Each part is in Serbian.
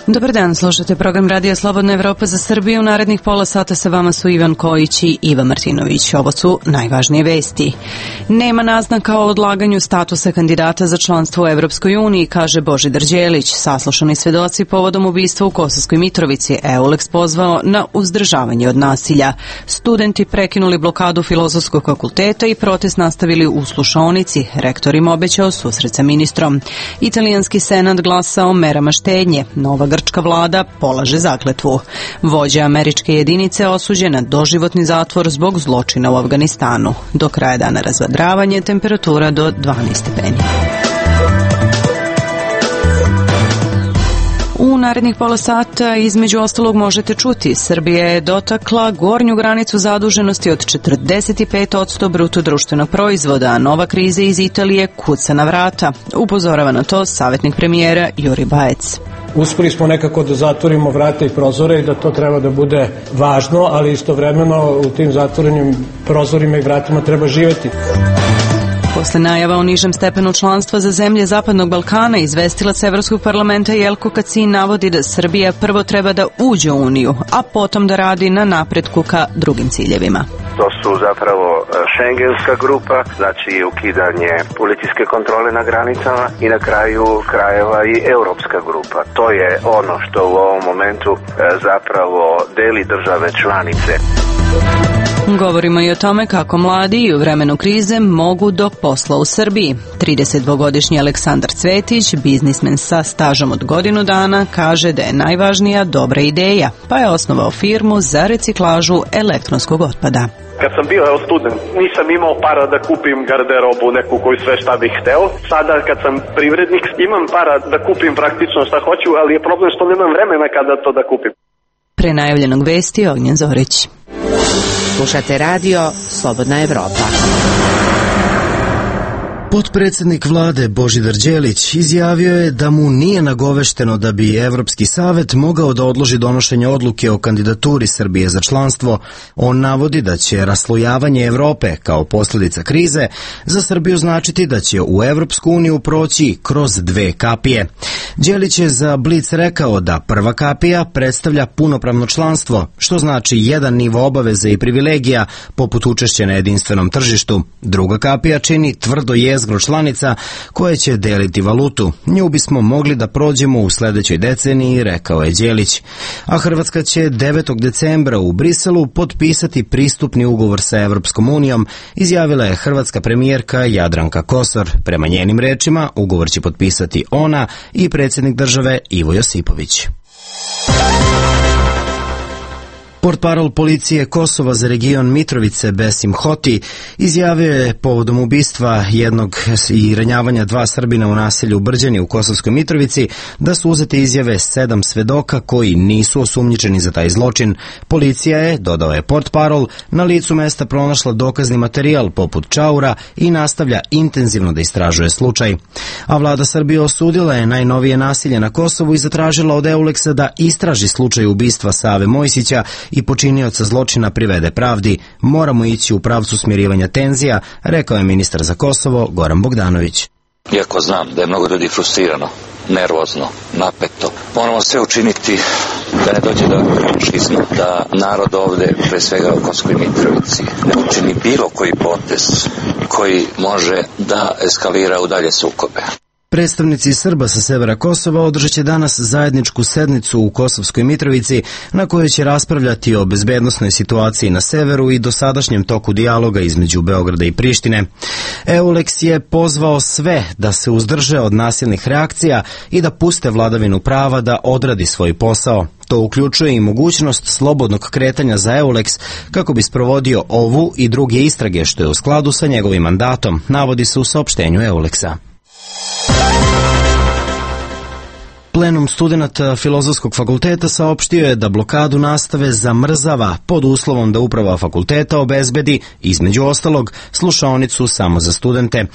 Dobar dan, slušate program Radija Slobodna Evropa za Srbiju. U narednih pola sata sa vama su Ivan Kojić i Iva Martinović. Ovo su najvažnije vesti. Nema naznaka o odlaganju statusa kandidata za članstvo u Evropskoj uniji, kaže Božidar Đelić. Saslušani svedoci povodom ubistva u Kosovskoj Mitrovici, EULEX pozvao na uzdržavanje od nasilja. Studenti prekinuli blokadu Filozofskog fakulteta i protest nastavili u slušaonici. Rektor im obećao susret sa ministrom. Italijanski senat glasa o merama štednje. Nova grčka vlada polaže zakletvu. Vođa američke jedinice osuđen na doživotni zatvor zbog zločina u Afganistanu. Do kraja dana razvedravanje, temperatura do 12 stepeni. U narednih pola sata između ostalog možete čuti: Srbija je dotakla gornju granicu zaduženosti od 45% bruto društvenog proizvoda, a nova kriza iz Italije kuca na vrata. Upozorava na to savjetnik premijera Juri Bajec. Uspeli smo nekako da zatvorimo vrata i prozore i da to treba da bude važno, ali istovremeno u tim zatvorenim prozorima i vratima treba živeti. Posle najava o nižem stepenu članstva za zemlje Zapadnog Balkana, izvestilac Evropskog parlamenta Jelko Kacin navodi da Srbija prvo treba da uđe u Uniju, a potom da radi na napretku ka drugim ciljevima. To su zapravo šengenska grupa, znači ukidanje policijske kontrole na granicama i na kraju krajeva i europska grupa. To je ono što u ovom momentu zapravo deli države članice. Govorimo i o tome kako mladi i u vremenu krize mogu do posla u Srbiji. 32-godišnji Aleksandar Cvetić, biznismen sa stažom od godinu dana, kaže da je najvažnija dobra ideja, pa je osnovao firmu za reciklažu elektronskog otpada. Kad sam bio student, nisam imao para da kupim garderobu neku koju sve šta bih hteo. Sada kad sam privrednik, imam para da kupim praktično šta hoću, ali je problem što nemam vremena kada to da kupim. Pre najavljenog vesti Ognjen Zorić. Slušate radio Slobodna Evropa. Potpredsjednik vlade Božidar Đelić izjavio je da mu nije nagovešteno da bi Evropski savet mogao da odloži donošenje odluke o kandidaturi Srbije za članstvo. On navodi da će raslojavanje Evrope kao posljedica krize za Srbiju značiti da će u Evropsku uniju proći kroz dve kapije. Đelić je za Blic rekao da prva kapija predstavlja punopravno članstvo, što znači jedan nivo obaveze i privilegija poput učešća na jedinstvenom tržištu. Druga kapija čini tvrdo jezgro članica koje će deliti valutu. Nju bismo mogli da prođemo u sledećoj deceniji, rekao je Đelić. A Hrvatska će 9. decembra u Briselu potpisati pristupni ugovor sa Evropskom unijom, izjavila je hrvatska premijerka Jadranka Kosor. Prema njenim rečima, ugovor će potpisati ona i predsjednik države Ivo Josipović. Portparol policije Kosova za region Mitrovice Besim Hoti izjavio je povodom ubistva jednog i ranjavanja dva Srbina u naselju Brđani u Kosovskoj Mitrovici da su uzete izjave 7 svedoka koji nisu osumnjičeni za taj zločin. Policija je, dodao je Portparol, na licu mesta pronašla dokazni materijal poput čaura i nastavlja intenzivno da istražuje slučaj. A vlada Srbije osudila je najnovije nasilje na Kosovu i zatražila od EULEX-a da istraži slučaj ubistva Save Mojsića i počinioca zločina privede pravdi. Moramo ići u pravcu smirivanja tenzija, rekao je ministar za Kosovo Goran Bogdanović. Iako znam da je mnogo ljudi frustrirano, nervozno, napeto, moramo sve učiniti da ne dođe do šizma, da narod ovde, pre svega u Kosovskoj Mitrovici, ne učini bilo koji potez koji može da eskalira u dalje sukobe. Predstavnici Srba sa severa Kosova održat će danas zajedničku sednicu u Kosovskoj Mitrovici na kojoj će raspravljati o bezbednosnoj situaciji na severu i dosadašnjem toku dijaloga između Beograda i Prištine. EULEX je pozvao sve da se uzdrže od nasilnih reakcija i da puste vladavinu prava da odradi svoj posao. To uključuje i mogućnost slobodnog kretanja za EULEX kako bi sprovodio ovu i druge istrage, što je u skladu sa njegovim mandatom, navodi se u saopštenju EULEX-a. Plenum studenata Filozofskog fakulteta saopštio je da blokadu nastave zamrzava pod uslovom da uprava fakulteta obezbedi, između ostalog, slušaonicu samo za studente.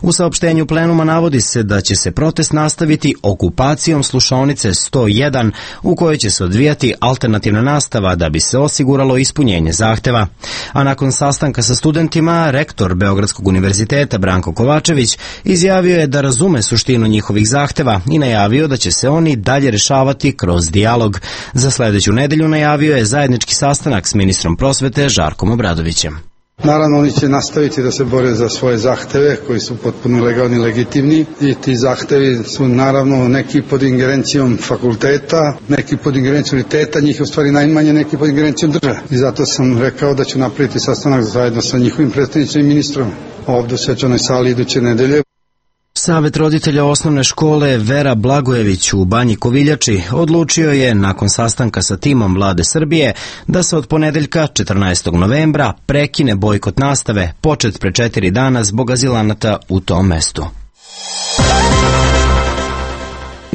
U saopštenju plenuma navodi se da će se protest nastaviti okupacijom slušaonice 101 u kojoj će se odvijati alternativna nastava da bi se osiguralo ispunjenje zahteva. A nakon sastanka sa studentima, rektor Beogradskog univerziteta Branko Kovačević izjavio je da razume suštinu njihovih zahteva i najavio da će se oni dalje rešavati kroz dijalog. Za sledeću nedelju najavio je zajednički sastanak s ministrom prosvete Žarkom Obradovićem. Naravno, oni će nastaviti da se bore za svoje zahteve koji su potpuno legalni i legitimni i ti zahtevi su naravno neki pod ingerencijom fakulteta, neki pod ingerencijom uniteta, njih je u stvari najmanje, neki pod ingerencijom države. I zato sam rekao da ću napraviti sastanak zajedno sa njihovim predstavnicima i ministrom ovdje u svečanoj sali iduće nedelje. Savet roditelja osnovne škole Vera Blagojević u Banji Koviljači odlučio je, nakon sastanka sa timom Vlade Srbije, da se od ponedeljka 14. novembra prekine bojkot nastave, počet pre 4 dana zbog azilanata u tom mestu.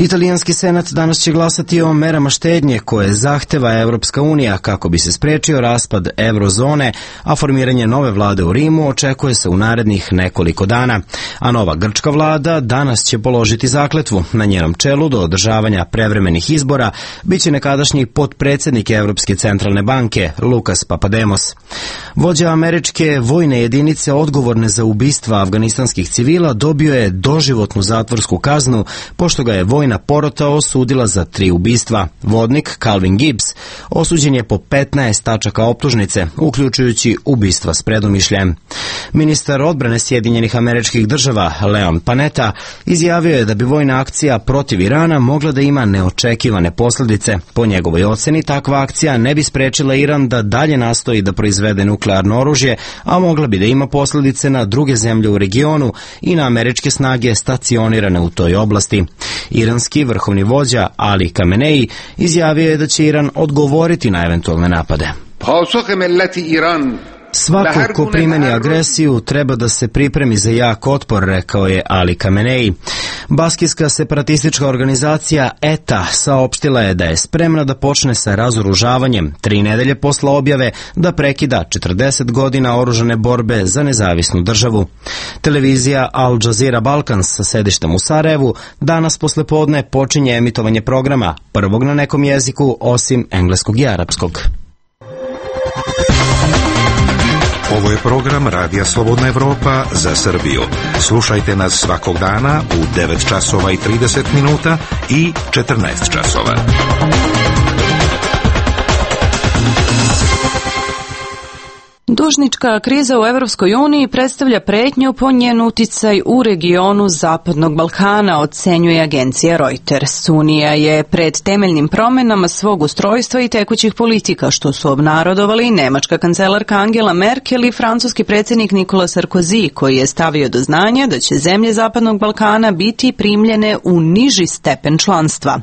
Italijanski senat danas će glasati o merama štednje koje zahteva Evropska unija kako bi se sprečio raspad eurozone, a formiranje nove vlade u Rimu očekuje se u narednih nekoliko dana. A nova grčka vlada danas će položiti zakletvu. Na njenom čelu do održavanja prevremenih izbora biće nekadašnji potpredsednik Evropske centralne banke Lukas Papademos. Vođa američke vojne jedinice odgovorne za ubistva afganistanskih civila dobio je doživotnu zatvorsku kaznu pošto ga je vojna porota osudila za 3 ubistva. Vodnik Calvin Gibbs osuđen je po 15 tačaka optužnice, uključujući ubistva s predumišljajem. Ministar odbrane Sjedinjenih Američkih Država Leon Panetta izjavio je da bi vojna akcija protiv Irana mogla da ima neočekivane posljedice. Po njegovoj oceni, takva akcija ne bi sprečila Iran da dalje nastoji da proizvede nuklearno oružje, a mogla bi da ima posljedice na druge zemlje u regionu i na američke snage stacionirane u toj oblasti. Iranski vrhovni vođa Ali Khamenei izjavio je da će Iran odgovoriti na eventualne napade. Svako ko primeni agresiju treba da se pripremi za jak otpor, rekao je Ali Khamenei. Baskijska separatistička organizacija ETA saopštila je da je spremna da počne sa razoružavanjem 3 nedelje posle objave da prekida 40 godina oružane borbe za nezavisnu državu. Televizija Al Jazeera Balkans sa sedištem u Sarajevu danas posle podne počinje emitovanje programa, prvog na nekom jeziku osim engleskog i arapskog. Ovo je program Radija Slobodna Evropa za Srbiju. Slušajte nas svakog dana u 9 časova i 30 minuta i 14 časova. Dužnička kriza u Evropskoj uniji predstavlja pretnju po njen uticaj u regionu Zapadnog Balkana, ocenjuje agencija Reuters. Unija je pred temeljnim promenama svog ustrojstva i tekućih politika, što su obnarodovali nemačka kancelarka Angela Merkel i francuski predsjednik Nicolas Sarkozy, koji je stavio do znanja da će zemlje Zapadnog Balkana biti primljene u niži stepen članstva.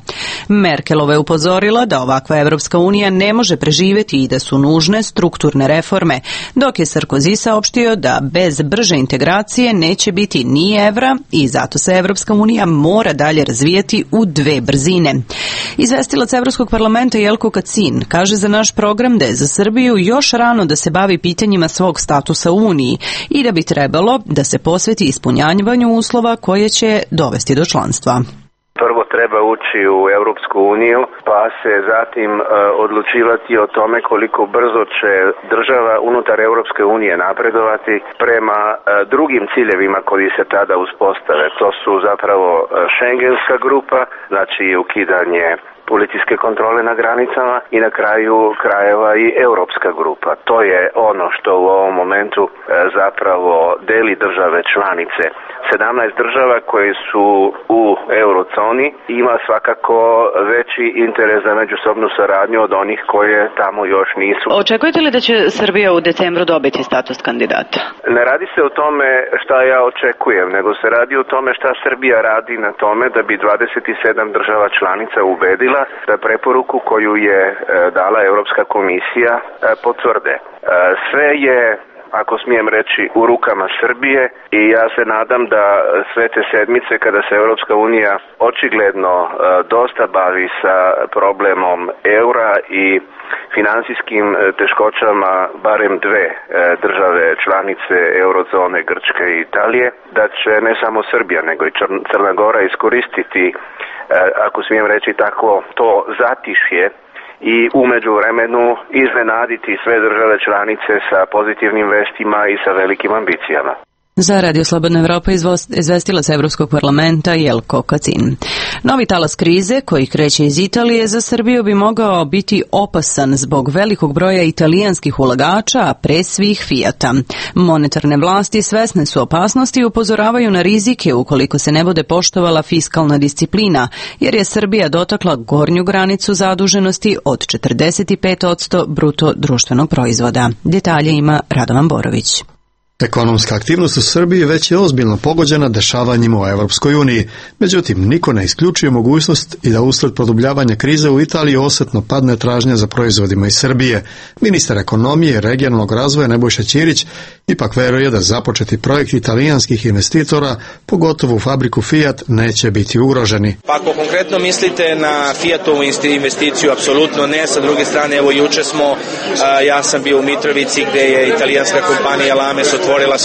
Merkelova je upozorila da ovakva Evropska unija ne može preživjeti i da su nužne strukturne reforme, dok je Sarkozy saopštio da bez brže integracije neće biti ni evra i zato se Evropska unija mora dalje razvijati u 2 brzine. Izvestilac Evropskog parlamenta Jelko Kacin kaže za naš program da je za Srbiju još rano da se bavi pitanjima svog statusa u Uniji i da bi trebalo da se posveti ispunjavanju uslova koje će dovesti do članstva. Prvo treba ući u Europsku uniju, pa se zatim odlučivati o tome koliko brzo će država unutar Europske unije napredovati prema drugim ciljevima koji se tada uspostave. To su zapravo Schengenska grupa, znači ukidanje policijske kontrole na granicama i na kraju krajeva i Europska grupa. To je ono što u ovom momentu zapravo deli države članice. 17 država koje su u eurozoni ima svakako veći interes za međusobnu saradnju od onih koje tamo još nisu. Očekujete li da će Srbija u decembru dobiti status kandidata? Ne radi se o tome šta ja očekujem, nego se radi o tome šta Srbija radi na tome da bi 27 država članica ubedila da preporuku koju je dala Europska komisija potvrde. Sve je, ako smijem reći, u rukama Srbije i ja se nadam da sve te sedmice kada se Europska unija očigledno dosta bavi sa problemom eura i finansijskim teškoćama barem 2 države članice eurozone, Grčke i Italije, da će ne samo Srbija nego i Crna Gora iskoristiti, ako smijem reći tako, to zatišje i u međuvremenu iznenaditi sve države članice sa pozitivnim vestima i sa velikim ambicijama. Za Radio Slobodna Evropa izvestila se Evropskog parlamenta Jelko Kacin. Novi talas krize koji kreće iz Italije za Srbiju bi mogao biti opasan zbog velikog broja italijanskih ulagača, a pre svih Fijata. Monetarne vlasti svesne su opasnosti i upozoravaju na rizike ukoliko se ne bude poštovala fiskalna disciplina, jer je Srbija dotakla gornju granicu zaduženosti od 45% bruto društvenog proizvoda. Detalje ima Radovan Borović. Ekonomska aktivnost u Srbiji već je ozbiljno pogođena dešavanjima u Evropskoj uniji. Međutim, niko ne isključuje mogućnost i da usled produbljavanja krize u Italiji osetno padne tražnja za proizvodima iz Srbije. Ministar ekonomije i regionalnog razvoja Nebojša Ćirić ipak veruje da započeti projekt italijanskih investitora, pogotovo u fabriku Fiat, neće biti ugroženi. Pa ako konkretno mislite na Fiatovu investiciju, apsolutno ne. Sa druge strane, evo juče ja sam bio u Mitrovici gde je italijanska kompanija Lames otvorila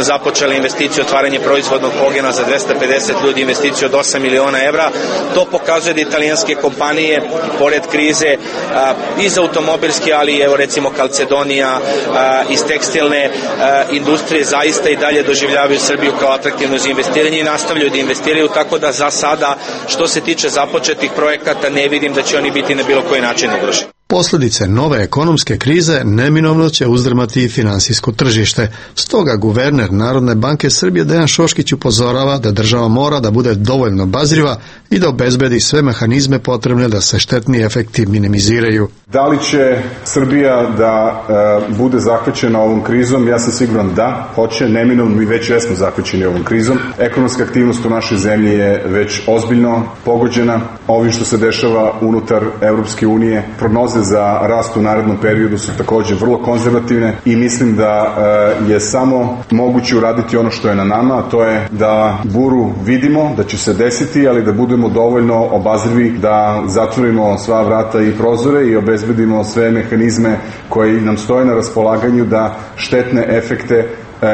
započela investiciju, otvaranje proizvodnog pogona za 250 ljudi, investiciju od 8 miliona evra. To pokazuje da italijanske kompanije, pored krize, iz automobilske, ali evo recimo Calcedonija, iz tekstilne industrije, zaista i dalje doživljavaju Srbiju kao atraktivno za investiranje i nastavljaju da investiraju, tako da za sada, što se tiče započetih projekata, ne vidim da će oni biti na bilo koji način ugroženi. Posljedice nove ekonomske krize neminovno će uzdrmati i finansijsko tržište. Stoga guverner Narodne banke Srbije Dejan Šoškić upozorava da država mora da bude dovoljno obazriva i da obezbedi sve mehanizme potrebne da se štetni efekti minimiziraju. Da li će Srbija da bude zahvaćena ovom krizom? Ja sam siguran da hoće, neminovno, mi već jesmo zahvaćeni ovom krizom. Ekonomska aktivnost u našoj zemlji je već ozbiljno pogođena. Ovim što se dešava unutar Evropske unije, prognoze za rast u narednom periodu su također vrlo konzervativne i mislim da je samo moguće uraditi ono što je na nama, a to je da buru vidimo, da će se desiti, ali da budemo dovoljno obazrivi da zatvorimo sva vrata i prozore i obezbedimo sve mehanizme koji nam stoje na raspolaganju da štetne efekte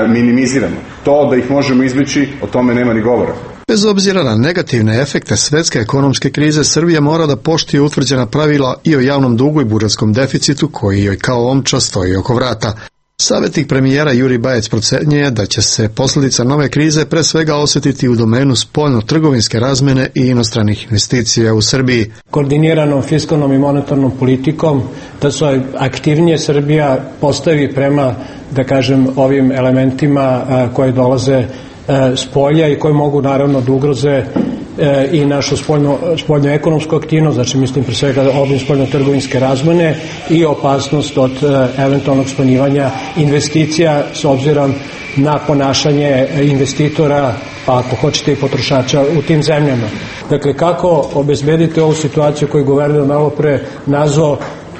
minimiziramo. To da ih možemo izbjeći, o tome nema ni govora. Bez obzira na negativne efekte svetske ekonomske krize, Srbija mora da poštuje utvrđena pravila i o javnom dugu i budžetskom deficitu koji joj kao omča stoji oko vrata. Savjetnik premijera Jurij Bajec procenjuje da će se posljedica nove krize pre svega osjetiti u domenu spoljno-trgovinske razmene i inostranih investicija u Srbiji. Koordiniranom fiskalnom i monetarnom politikom da se aktivnije Srbija postavi prema, da kažem, ovim elementima koji dolaze s polja i koji mogu naravno da ugroze i našu spoljno-ekonomsku aktivnost, znači mislim pre svega obim spoljno-trgovinske razmene i opasnost od eventualnog smanjivanja investicija s obzirom na ponašanje investitora, pa ako hoćete i potrošača u tim zemljama. Dakle, kako obezbediti ovu situaciju koju guverner malo pre nazvao,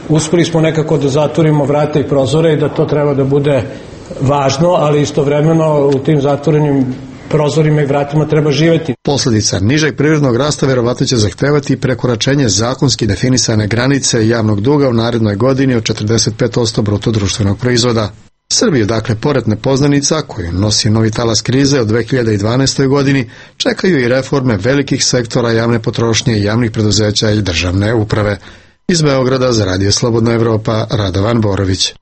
uspeli smo nekako da zatvorimo vrata i prozore i da to treba da bude važno, ali istovremeno u tim zatvorenim prozorima i vratima treba živjeti. Posljedica nižeg privrednog rasta verovatno će zahtevati prekoračenje zakonski definisane granice javnog duga u narednoj godini od 45% bruto društvenog proizvoda. Srbiju, dakle, pored nepoznanica koju nosi novi talas krize od 2012. godini, čekaju i reforme velikih sektora javne potrošnje i javnih preduzeća i državne uprave. Iz Beograda za Radio Slobodna Evropa, Radovan Borović.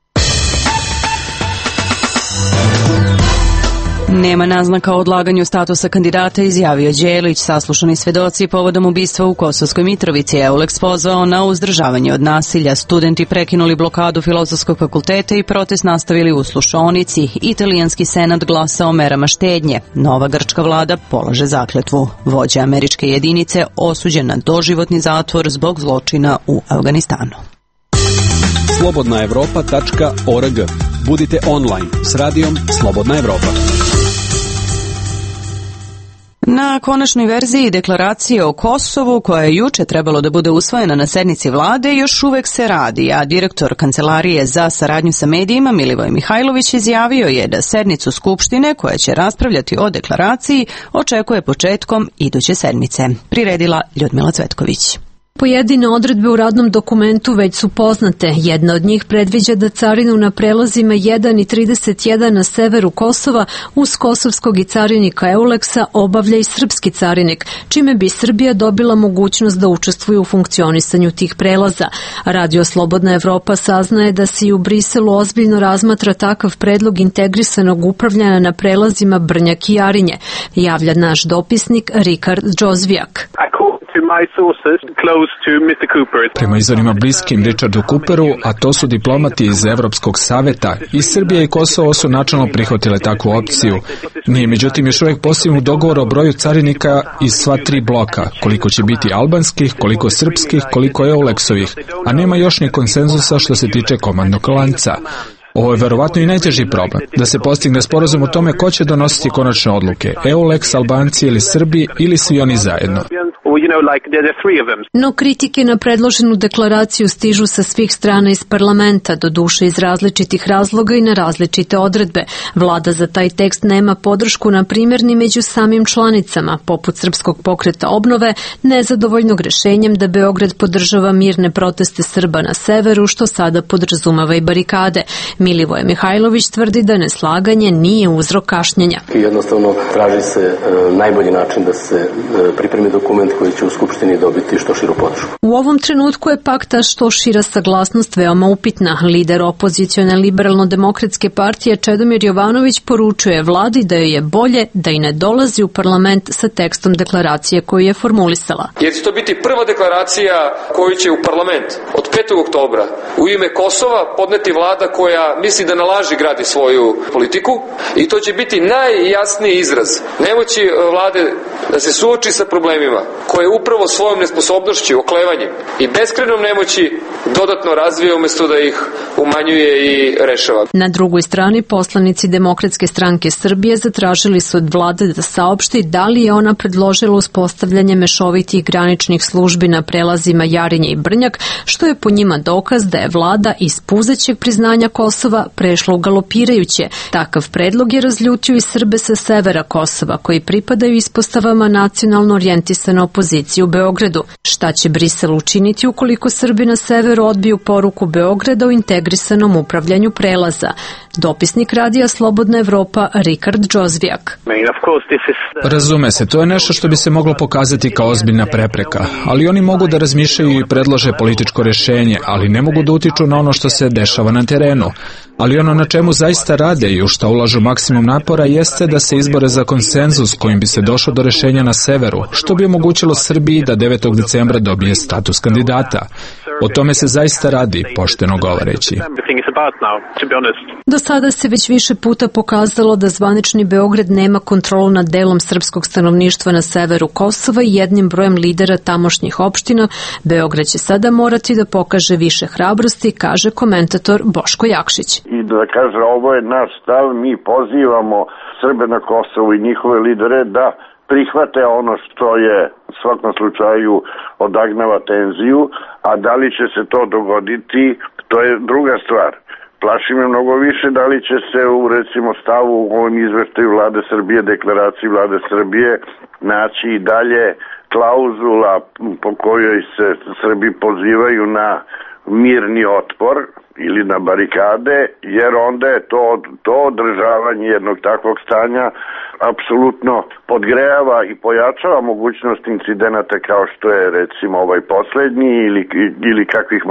Nema naznaka o odlaganju statusa kandidata, izjavio Đelić. Saslušani svedoci povodom ubistva u Kosovskoj Mitrovici. Euleks pozvao na uzdržavanje od nasilja. Studenti prekinuli blokadu Filozofskog fakulteta i protest nastavili u Slušonici. Italijanski senat glasa o merama štednje. Nova grčka vlada polaže zakletvu. Vođa američke jedinice osuđen na doživotni zatvor zbog zločina u Afganistanu. slobodnaevropa.org. Budite online s radijom Slobodna Evropa. Na konačnoj verziji deklaracije o Kosovu, koja je juče trebalo da bude usvojena na sednici vlade, još uvek se radi, a direktor Kancelarije za saradnju sa medijima Milivoj Mihajlović izjavio je da sednicu Skupštine, koja će raspravljati o deklaraciji, očekuje početkom iduće sedmice. Priredila Ljudmila Cvetković. Pojedine odredbe u radnom dokumentu već su poznate. Jedna od njih predviđa da carinu na prelazima 1 i 31 na severu Kosova uz kosovskog i carinika Euleksa obavlja i srpski carinik, čime bi Srbija dobila mogućnost da učestvuje u funkcionisanju tih prelaza. Radio Slobodna Evropa saznaje da se i u Briselu ozbiljno razmatra takav predlog integrisanog upravljanja na prelazima Brnjak i Jarinje, javlja naš dopisnik Rikard Džozvijak. Prema izvorima bliskim Richardu Cooperu, a to su diplomati iz Evropskog saveta, i Srbija i Kosovo su načalno prihvatile takvu opciju. Nije međutim još uvijek postignut dogovor o broju carinika iz sva tri bloka, koliko će biti albanskih, koliko srpskih, koliko Euleksovih, a nema još ni konsenzusa što se tiče komandnog lanca. Ovo je verovatno i najteži problem, da se postigne sporazum o tome ko će donositi konačne odluke, Euleks, Albanci ili Srbi ili svi oni zajedno. No kritike na predloženu deklaraciju stižu sa svih strana iz parlamenta, doduše iz različitih razloga i na različite odredbe. Vlada za taj tekst nema podršku na primjer ni među samim članicama, poput Srpskog pokreta obnove, nezadovoljnog rešenjem da Beograd podržava mirne proteste Srba na severu, što sada podrazumava i barikade. Milivoje Mihajlović tvrdi da neslaganje nije uzrok kašnjenja. Jednostavno traži se najbolji način da se pripremi dokument koji će u Skupštini dobiti što širu podršku. U ovom trenutku je pak ta što šira saglasnost veoma upitna. Lider opozicione liberalno-demokratske partije Čedomir Jovanović poručuje vladi da joj je bolje da i ne dolazi u parlament sa tekstom deklaracije koju je formulisala. Jer će to biti prva deklaracija koju će u parlament od 5. oktobra u ime Kosova podneti vlada koja misli da na laži gradi svoju politiku i to će biti najjasniji izraz nemoći vlade da se suoči sa problemima koje upravo svojom nesposobnošću, oklevanjem i beskrajnom nemoći dodatno razvija umjesto da ih umanjuje i rešava. Na drugoj strani poslanici Demokratske stranke Srbije zatražili su od vlade da saopšti da li je ona predložila uspostavljanje mešovitih graničnih službi na prelazima Jarinje i Brnjak, što je po njima dokaz da je vlada iz puzećeg priznanja Kosova prešla u galopirajuće. Takav predlog je razljutio i Srbe sa severa Kosova, koji pripadaju ispostavama nacionalno orijentisane opozicije u Beogradu. Šta će Brisel učiniti ukoliko Srbi na severu odbiju poruku Beograda o integrisanom upravljanju prelaza? Dopisnik Radija Slobodna Evropa Rikard Džozvijak. Razume se, to je nešto što bi se moglo pokazati kao ozbiljna prepreka, ali oni mogu da razmišljaju i predlože političko rješenje, ali ne mogu da utiču na ono što se dešava na terenu. Ali ono na čemu zaista rade i u što ulažu maksimum napora jeste da se izbore za konsenzus kojim bi se došlo do rješenja na severu, što bi omogućilo Srbiji da 9. decembra dobije status kandidata. O tome se zaista radi, pošteno govoreći. Do sada se već više puta pokazalo da zvanični Beograd nema kontrolu nad delom srpskog stanovništva na severu Kosova i jednim brojem lidera tamošnjih opština. Beograd će sada morati da pokaže više hrabrosti, kaže komentator Boško Jakšić. I da kaže, ovo je naš stav, mi pozivamo Srbe na Kosovu i njihove lidere da prihvate ono što je u svakom slučaju odagnava tenziju, a da li će se to dogoditi, to je druga stvar. Plaši me mnogo više da li će se u recimo stavu u ovom izveštaju Vlade Srbije, deklaraciji Vlade Srbije naći i dalje klauzula po kojoj se Srbi pozivaju na mirni otpor ili na barikade, jer onda je to održavanje jednog takvog stanja apsolutno podgrejava i pojačava mogućnost incidenata kao što je recimo ovaj poslednji ili kakvih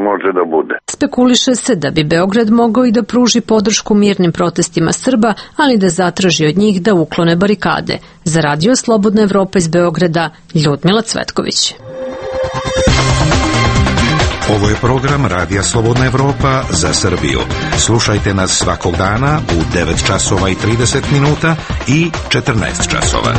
može da bude. Spekuliše se da bi Beograd mogao i da pruži podršku mirnim protestima Srba, ali da zatraži od njih da uklone barikade. Za Radio Slobodna Evropa iz Beograda, Ljudmila Cvetković. Ovo je program Radija Slobodna Evropa za Srbiju. Slušajte nas svakog dana u 9 časova i 30 minuta i 14 časova.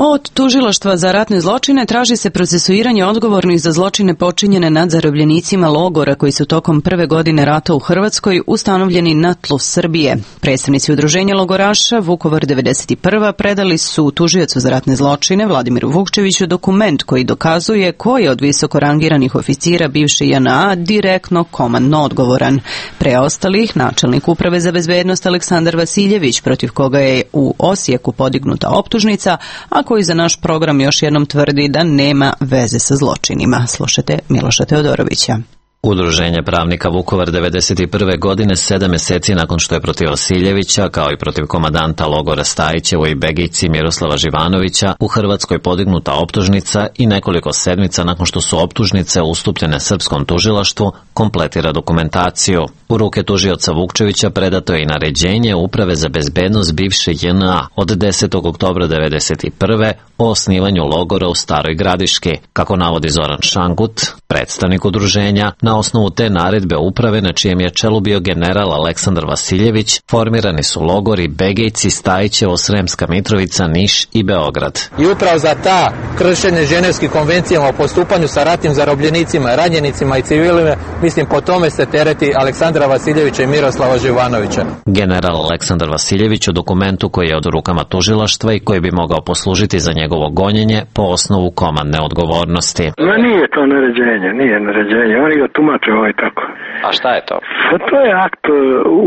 Od Tužilaštva za ratne zločine traži se procesuiranje odgovornih za zločine počinjene nad zarobljenicima logora koji su tokom prve godine rata u Hrvatskoj ustanovljeni na tlu Srbije. Predstavnici udruženja logoraša Vukovar 91. predali su tužiocu za ratne zločine Vladimiru Vukčeviću dokument koji dokazuje ko je od visoko rangiranih oficira bivše JNA direktno komandno odgovoran. Preostalih načelnik Uprave za bezbednost Aleksandar Vasiljević, protiv koga je u Osijeku podignuta optužnica, a koji za naš program još jednom tvrdi da nema veze sa zločinima. Slušajte Miloša Teodorovića. Udruženje pravnika Vukovar 91. godine 7 meseci nakon što je protiv Vasiljevića, kao i protiv komandanta logora Stajićevo i Begijci Miroslava Živanovića, u Hrvatskoj podignuta optužnica i nekoliko sedmica nakon što su optužnice ustupljene srpskom tužilaštvu, kompletira dokumentaciju. U ruke tužioca Vukčevića predato je i naređenje Uprave za bezbednost bivše JNA od 10. oktobra 91. o osnivanju logora u Staroj Gradiški. Kako navodi Zoran Šangut, predstavnik udruženja, na osnovu te naredbe uprave na čijem je čelu bio general Aleksandar Vasiljević, formirani su logori Begejci, Stajićevo, Sremska Mitrovica, Niš i Beograd. I upravo za ta kršenje ženevskih konvencijama o postupanju sa ratnim zarobljenicima, ranjenicima i civilima, mislim po tome se tereti Aleksandra Vasiljevića i Miroslava Živanovića. General Aleksandar Vasiljević u dokumentu koji je od rukama tužilaštva i koji bi mogao poslužiti za njegovo gonjenje po osnovu komandne odgovornosti. Ma nije to naređenje, oni ga tumače tako. A šta je to? Pa to je akt,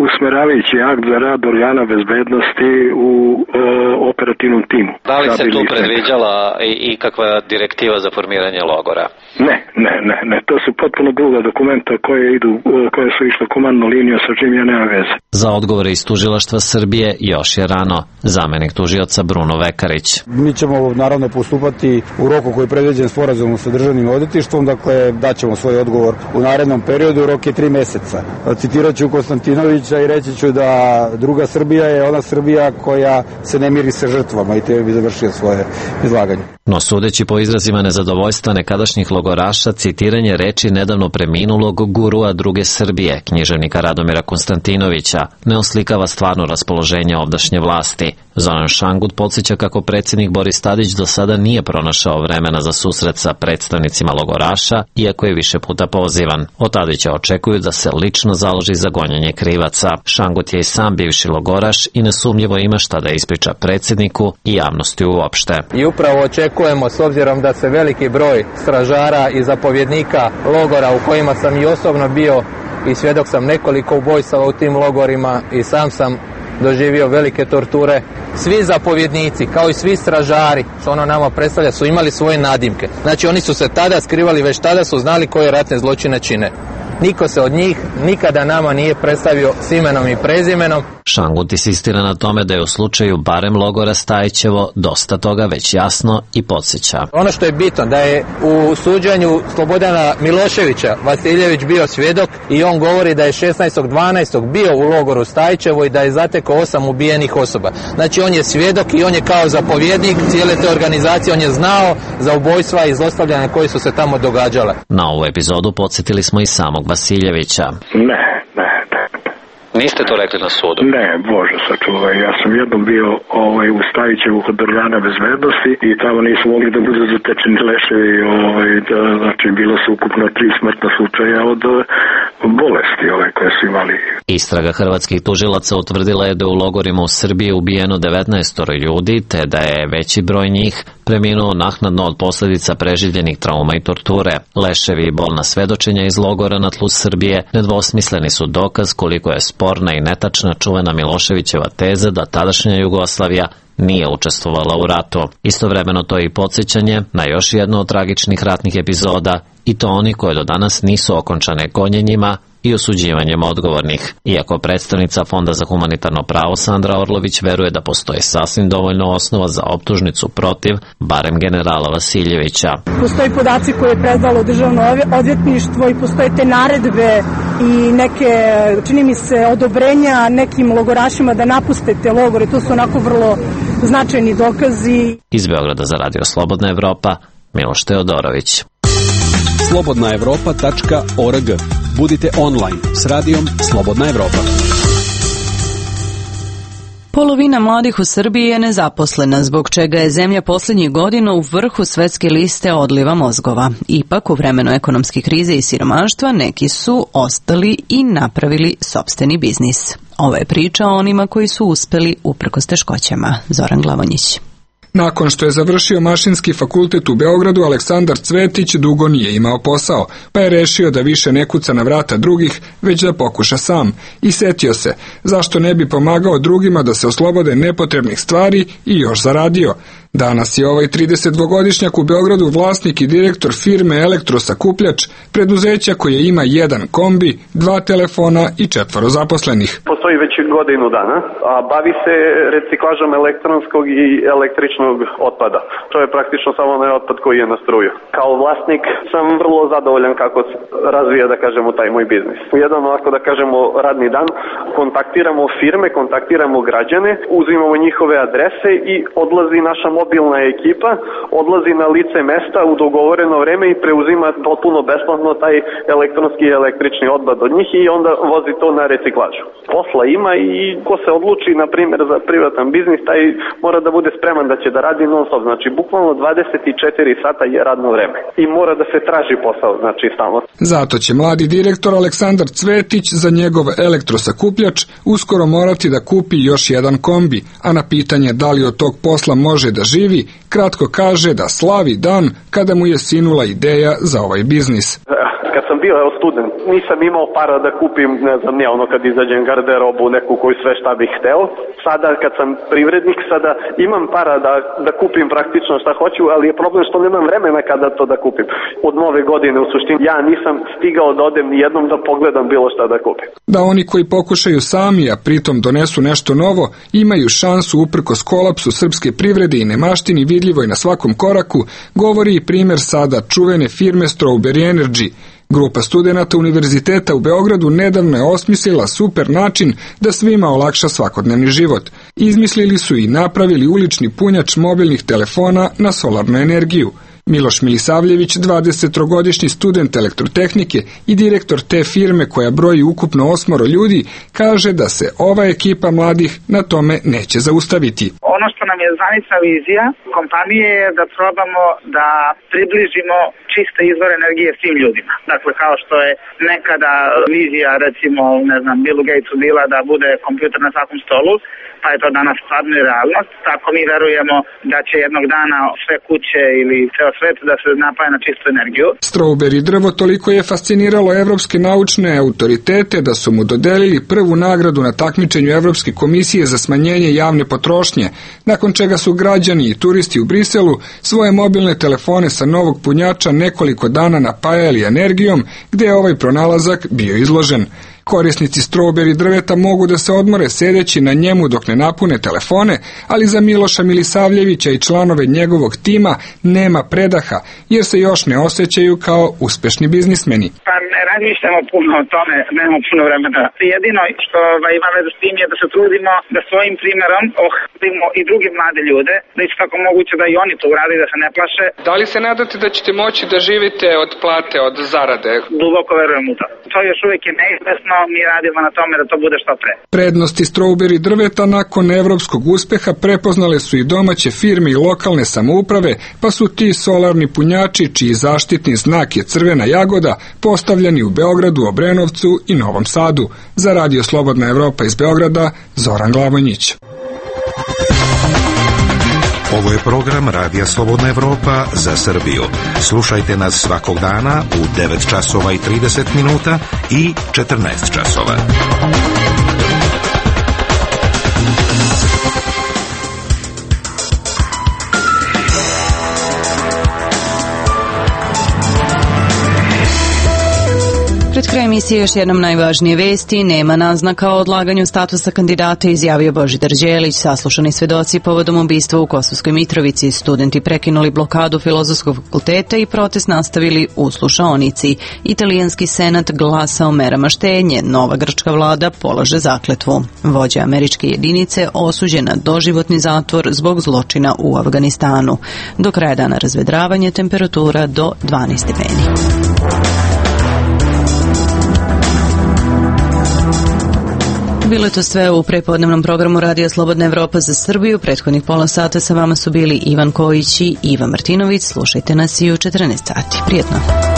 usmeravajući akt za rad organa bezbednosti u operativnom timu. Da li se tu predviđala i kakva direktiva za formiranje logora? Ne, to su potpuno druga dokumenta koje su išle komandnu liniju sa čim ja nema veze. Za odgovore iz tužilaštva Srbije još je rano. Zamenik tužioca Bruno Vekarić. Mi ćemo naravno postupati u roku koji je predviđen sporazumom sa državnim odvjetništvom, dakle daćemo svoj odgovor u narednom periodu, rok je 3 meseca. Citirat ću Konstantinovića i reći ću da druga Srbija je ona Srbija koja se ne miri sa žrtvama i te bi završio svoje izlaganje. No sudeći po izrazima nezadovoljstva nekadašnjih logoraša, citiranje reči nedavno preminulog gurua druge Srbije, književnika Radomira Konstantinovića, ne oslikava stvarno raspoloženje ovdašnje vlasti. Zoran Šangut podsjeća kako predsjednik Boris Tadić do sada nije pronašao vremena za susret sa predstavnicima logoraša, iako je više puta pozivan. Od Tadića očekuju da se lično založi za gonjenje krivaca. Šangut je i sam bivši logoraš i nesumnjivo ima šta da ispriča predsjedniku i javnosti uopšte. I upravo očekujemo, s obzirom da se veliki broj stražara i zapovjednika logora u kojima sam i osobno bio i svjedok sam nekoliko ubojstava u tim logorima i sam sam doživio velike torture. Svi zapovjednici, kao i svi stražari, što ono nama predstavlja, su imali svoje nadimke. Znači oni su se tada skrivali, već tada su znali koje ratne zločine čine. Niko se od njih nikada nama nije predstavio s imenom i prezimenom. Šangut insistira na tome da je u slučaju barem logora Stajićevo dosta toga već jasno i podsjeća. Ono što je bitno da je u suđenju Slobodana Miloševića Vasiljević bio svjedok i on govori da je 16.12. bio u logoru Stajićevo i da je zatekao 8 ubijenih osoba. Znači on je svjedok i on je kao zapovjednik cijele te organizacije, on je znao za ubojstva i zlostavljanja koje su se tamo događale. Na ovu epizodu podsjetili smo i samog Vasiljevića. Ne. Niste to rekli na sudu? Ne, Bože sačuvaj. Ja sam jednom bio u Stajićevu kod organa bezbednosti i tamo nisu mogli da budu zatečeni leševi. Znači, bilo su ukupno 3 smrtna slučaja od bolesti koje su imali. Istraga hrvatskih tužilaca utvrdila je da u logorima u Srbiji ubijeno 19 ljudi, te da je veći broj njih preminuo naknadno od posljedica preživljenih trauma i torture. Leševi i bolna svedočenja iz logora na tlu Srbije nedvosmisleni su dokaz koliko je sporna i netačna čuvena Miloševićeva teza da tadašnja Jugoslavija nije učestvovala u ratu. Istovremeno to je i podsjećanje na još jednu od tragičnih ratnih epizoda, i to oni koje do danas nisu okončane gonjenjima i osuđivanjem odgovornih. Iako predstavnica Fonda za humanitarno pravo Sandra Orlović veruje da postoji sasvim dovoljno osnova za optužnicu protiv barem generala Vasiljevića. Postoji podaci koje je predalo državno odvjetništvo i postoje te naredbe i neke, čini mi se, odobrenja nekim logorašima da napuste te logore. To su onako vrlo značajni dokazi. Iz Beograda za Radio Slobodna Evropa, Miloš Teodorović. slobodnaevropa.org. Budite online s radijom Slobodna Evropa. Polovina mladih u Srbiji je nezaposlena, zbog čega je zemlja posljednjih godina u vrhu svetske liste odliva mozgova. Ipak, u vremenu ekonomske krize i siromaštva, neki su ostali i napravili sopstveni biznis. Ovo je priča o onima koji su uspeli uprkos teškoćama. Zoran Glavonjić. Nakon što je završio Mašinski fakultet u Beogradu, Aleksandar Cvetić dugo nije imao posao, pa je rešio da više ne kuca na vrata drugih, već da pokuša sam. I setio se, zašto ne bi pomagao drugima da se oslobode nepotrebnih stvari i još zaradio. Danas je ovaj 32-godišnjak u Beogradu vlasnik i direktor firme Elektrosakupljač, preduzeća koje ima 1 kombi, 2 telefona i 4 zaposlenih. Postoji već godinu dana, a bavi se reciklažom elektronskog i električnog otpada. To je praktično samo onaj otpad koji je na struju. Kao vlasnik sam vrlo zadovoljan kako se razvija, da kažemo, taj moj biznis. U jedan, ovako da kažemo, radni dan kontaktiramo firme, kontaktiramo građane, uzimamo njihove adrese i odlazi naša mobilna ekipa, odlazi na lice mesta u dogovoreno vreme i preuzima potpuno besplatno taj elektronski i električni otpad od njih i onda vozi to na reciklažu. Posla ima i ko se odluči, na primjer, za privatan biznis, taj mora da bude spreman da će da radi non stop. Znači, bukvalno 24 sata je radno vreme i mora da se traži posao, znači stalno. Zato će mladi direktor Aleksandar Cvetić za njegov elektrosakupljač uskoro morati da kupi još 1 kombi, a na pitanje da li od tog posla može da živi, kratko kaže da slavi dan kada mu je sinula ideja za ovaj biznis. Kad sam bio student, nisam imao para da kupim, ne znam, kad izađem garderobu, neku koju sve šta bih hteo. Sada kad sam privrednik, sada imam para da kupim praktično šta hoću, ali je problem što nemam vremena kada to da kupim. Od nove godine u suštini ja nisam stigao da odem ni jednom da pogledam bilo šta da kupim. Da oni koji pokušaju sami, a pritom donesu nešto novo, imaju šansu uprkos kolapsu srpske privrede i nemaštini vidljivoj na svakom koraku, govori i primer sada čuvene firme Strawberry Energy. Grupa studenata Univerziteta u Beogradu nedavno je osmislila super način da svima olakša svakodnevni život. Izmislili su i napravili ulični punjač mobilnih telefona na solarnu energiju. Miloš Milisavljević, 23-godišnji student elektrotehnike i direktor te firme koja broji ukupno 8 ljudi, kaže da se ova ekipa mladih na tome neće zaustaviti. Ono što nam je zvanična vizija kompanije je da probamo da približimo čiste izvore energije svim ljudima. Dakle, kao što je nekada vizija, recimo, Billu Gatesu bila da bude kompjuter na svakom stolu, pa je to danas stvarno i realnost. Tako mi verujemo da će jednog dana sve kuće ili ceo svet da se napaja na čistu energiju. Strawberry drvo toliko je fasciniralo evropske naučne autoritete da su mu dodelili prvu nagradu na takmičenju Evropske komisije za smanjenje javne potrošnje, nakon čega su građani i turisti u Briselu svoje mobilne telefone sa novog punjača nekoliko dana napajali energijom, gde je ovaj pronalazak bio izložen. Korisnici Strawberry drveta mogu da se odmore sedeći na njemu dok ne napune telefone, ali za Miloša Milisavljevića i članove njegovog tima nema predaha, jer se još ne osjećaju kao uspešni biznismeni. Pa ne razmišljamo puno o tome, nemamo puno vremena. Jedino što ima veze s tim je da se trudimo da svojim primjerom ohrabrimo i druge mlade ljude, da isto tako moguće da i oni to urade, da se ne plaše. Da li se nadate da ćete moći da živite od plate, od zarade? Duboko verujem u to. To još uvijek je neizvesno, mi radimo na tome da to bude što pre. Prednosti Strawberry drveta nakon evropskog uspeha prepoznale su i domaće firme i lokalne samouprave, pa su ti solarni punjači, čiji zaštitni znak je crvena jagoda, postavljeni u Beogradu, Obrenovcu i Novom Sadu. Za Radio Slobodna Evropa iz Beograda, Zoran Glavonjić. Ovo je program Radija Slobodna Evropa za Srbiju. Slušajte nas svakog dana u 9 časova i 30 minuta i 14 časova. Pred kraj emisije još jednom najvažnije vesti. Nema naznaka o odlaganju statusa kandidata, izjavio Božidar Đelić. Saslušani svedoci povodom ubistva u Kosovskoj Mitrovici. Studenti prekinuli blokadu Filozofskog fakulteta i protest nastavili u slušaonici. Italijanski senat glasa o merama štednje. Nova grčka vlada polaže zakletvu. Vođa američke jedinice osuđen na doživotni zatvor zbog zločina u Afganistanu. Do kraja dana razvedravanje, temperatura do 12 stepeni. Bilo je to sve u prepodnevnom programu Radija Slobodna Evropa za Srbiju. Prethodnih pola sata sa vama su bili Ivan Kojić i Iva Martinović. Slušajte nas i u 14 sati. Prijetno.